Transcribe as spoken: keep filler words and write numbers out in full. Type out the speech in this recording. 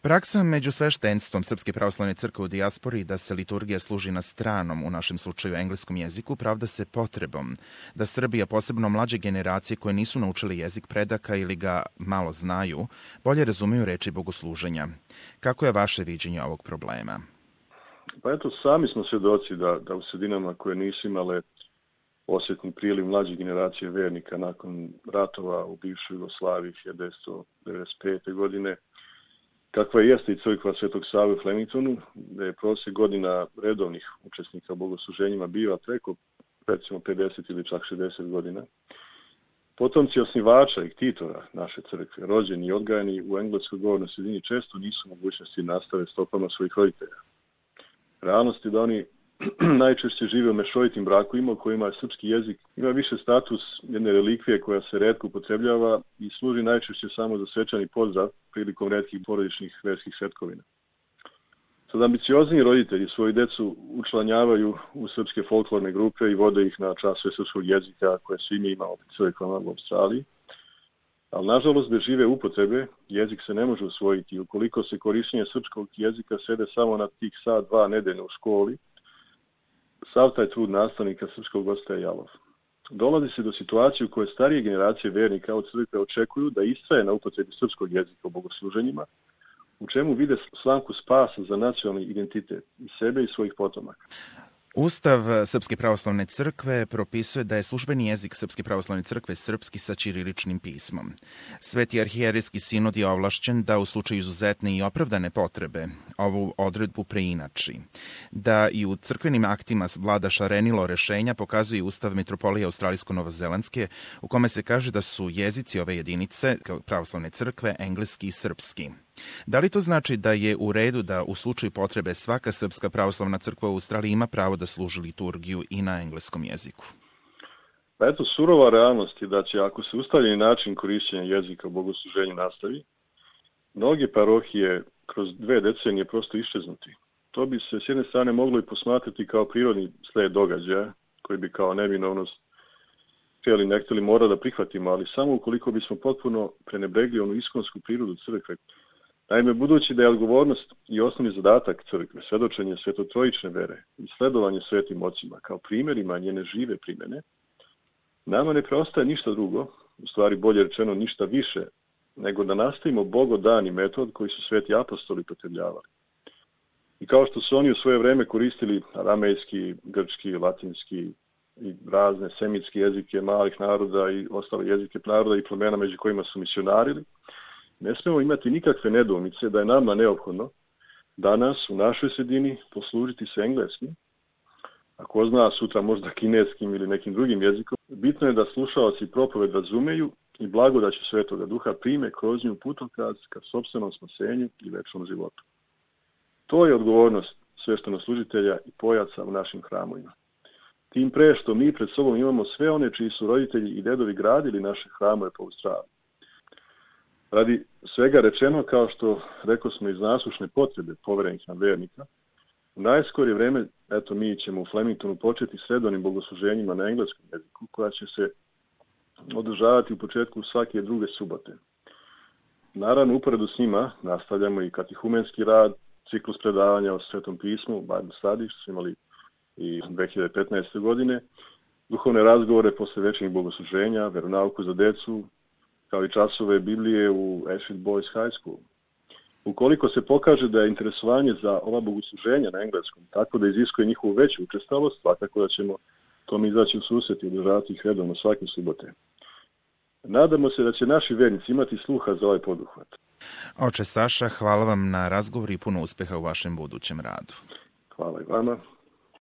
Praksa među sveštenstvom Srpske pravoslavne crkve u dijaspori da se liturgija služi na stranom, u našem slučaju engleskom jeziku, pravda se potrebom da Srbija, posebno mlađe generacije koje nisu naučili jezik predaka ili ga malo znaju, bolje razumeju reči bogosluženja. Kako je vaše viđenje ovog problema? Pa eto, sami smo svjedoci da, da u sredinama koje nisu imale osjetni priliv mlađe generacije vernika nakon ratova u bivšoj Jugoslaviji hiljadu devetsto devedeset pete. godine, kakva jeste i crkva Svetog Save u Flemingtonu, da je prosjek godina redovnih učesnika u bogosluženjima bio preko recimo pedeset ili čak šezdeset godina. Potomci osnivača i ktitora naše crkve, rođeni i odgajani u engleskoj govornoj sredini, često nisu mogućnosti nastave stopama svojih roditelja. Realnost je da oni najčešće žive u mešovitim brakovima u kojima srpski jezik ima više status jedne relikvije koja se retko upotrebljava i služi najčešće samo za svečani pozdrav prilikom retkih porodičnih verskih svetkovina. Sad ambiciozni roditelji svoju decu učlanjavaju u srpske folklorne grupe i vode ih na časove srpskog jezika koje su ime imao u crkvama u Australiji. Ali nažalost, bez žive upotrebe jezik se ne može usvojiti. Ukoliko se korištenje srpskog jezika svede samo na tih sat, dva nedeljno u školi, sav taj trud nastavnika srpskog ostaje jalov. Dolazi se do situacije u kojoj starije generacije vernika od crkve očekuju da istraje na upotrebi srpskog jezika u bogosluženjima, u čemu vide slamku spasa za nacionalni identitet i sebe i svojih potomaka. Ustav Srpske pravoslavne crkve propisuje da je službeni jezik Srpske pravoslavne crkve srpski sa ćiriličnim pismom. Sveti arhijerejski sinod je ovlašćen da u slučaju izuzetne i opravdane potrebe ovu odredbu preinači. Da i u crkvenim aktima vlada šarenilo rešenja pokazuje Ustav Metropolije Australijsko-Novozelandske, u kome se kaže da su jezici ove jedinice pravoslavne crkve engleski i srpski. Da li to znači da je u redu da u slučaju potrebe svaka Srpska pravoslavna crkva u Australiji ima pravo da služi liturgiju i na engleskom jeziku? Pa eto, surova realnost je da će, ako se ustaljeni način korišćenja jezika u bogosluženju nastavi, mnoge parohije kroz dve decenije prosto iščeznuti. To bi se s jedne strane moglo i posmatrati kao prirodni sled događaja, koji bi kao neminovnost htjeli ne htjeli mora da prihvatimo, ali samo ukoliko bismo potpuno prenebregli onu iskonsku prirodu crkve. Naime, budući da je odgovornost i osnovni zadatak crkve svedočenje svetotrojične vere i sledovanje svetim ocima kao primjerima njene žive primjene, nama ne preostaje ništa drugo, u stvari bolje rečeno ništa više, nego da nastavimo bogodani metod koji su sveti apostoli potrebljavali. I kao što su oni u svoje vreme koristili aramejski, grčki, latinski i razne semitske jezike malih naroda i ostale jezike naroda i plemena među kojima su misionarili, ne smemo imati nikakve nedoumice da je nama neophodno danas u našoj sredini poslužiti se engleskim, a ko zna sutra možda kineskim ili nekim drugim jezikom. Bitno je da slušaoci propoved razumeju i blagodaću Svetoga Duha prime kroz nju putokaz ka sopstvenom spasenju i večnom životu. To je odgovornost sveštenoslужitelja i pojaca u našim hramovima. Tim pre što mi pred sobom imamo sve one čiji su roditelji i dedovi gradili naše hramove po Australiji. Radi svega rečeno, kao što rekao smo iz nasušne potrebe poverenih nam vernika, u najskorije vreme, eto, mi ćemo u Flemingtonu početi s redovnim bogosluženjima na engleskom jeziku, koja će se održavati u početku svake druge subote. Naravno, uporedu s njima nastavljamo i katehumenski rad, ciklus predavanja o Svetom pismu, Bible Study, što smo imali i dve hiljade petnaeste. godine, duhovne razgovore posle večernjih bogosluženja, veronauku za decu, kao i časove Biblije u Ashfield Boys High School. Ukoliko se pokaže da je interesovanje za ova bogosluženja na engleskom tako da iziskuje njihovu veću učestalost, svakako da ćemo tom izaći u susret i održavati ih redovno svake subote. Nadamo se da će naši vernici imati sluha za ovaj poduhvat. Oče Saša, hvala vam na razgovor i puno uspeha u vašem budućem radu. Hvala i vama.